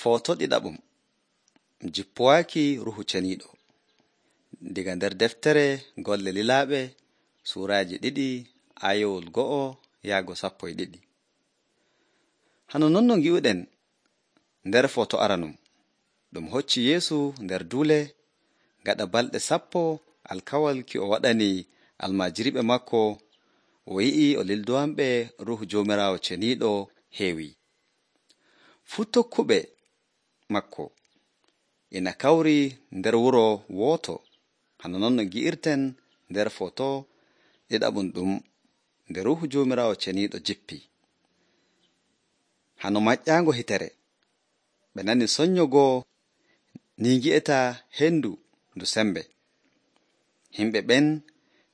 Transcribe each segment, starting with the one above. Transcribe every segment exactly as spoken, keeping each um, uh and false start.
Foto ɗiɗaɓum jippowaaki ruhu ceniiɗo diga nder deftere golle lilaaɓe suuraaji ɗiɗi aayowol go'o yaago sappo e ɗiɗi. Hano non no ngi'uɗen nder foto aranum ɗum hocci Yeesu nder duule gaɗa balɗe sappo alkawal ki o waɗani almaajiriɓe makko o yi'i o lildowanɓe ruhu Joomiraawo ceniiɗo heewi. Fuu tokkuɓe makko ina kawri nder wuro wooto hano non no gi'irten nder foto ɗiɗaɓum ɗum nde ruhu Joomiraawo ceniiɗo jippi. Hano maƴƴaango hitere ɓe nani sonnyogo ni ngi'eta hendu ndu sembe. Himɓe ɓen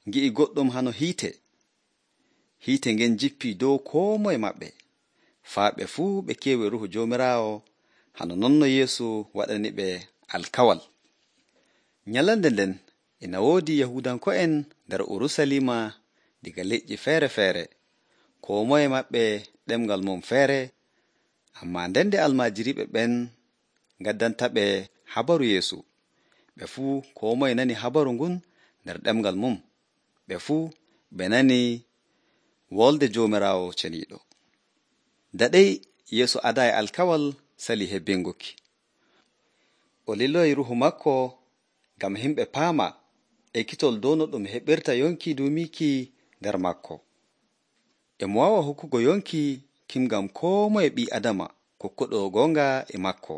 ngi'i goɗɗum hano hiite. Hiite ngen jippi dow koo moye maɓɓe. Faa ɓe fuu ɓe keewi ruhu Joomiraawo hano non no Yeesu waɗani ɓe alkawal. Nyalande nden ina woodi Yahuudanko'en nder Urusalima diga leƴƴi feere-feere, koo moye maɓɓe ɗemngal mum feere, ammaa ndende almaajiriɓe ɓen ngaddanta ɓe habaru Yeesu, ɓe fuu koo moye nani habaru ngun nder ɗemngal mum, ɓe fuu ɓe nani wolde Joomiraawo ceniiɗo. Daɗey Yeesu adaayi alkawal sali hebbinguki. O liloyi ruhu makko ngam himɓe paama ekkitol dow no ɗum heɓirta yonki duumiiki nder makko. E mo waawa hokkugo yonki kim ngam koo moye ɓii Adama kokkuɗo goonga e makko.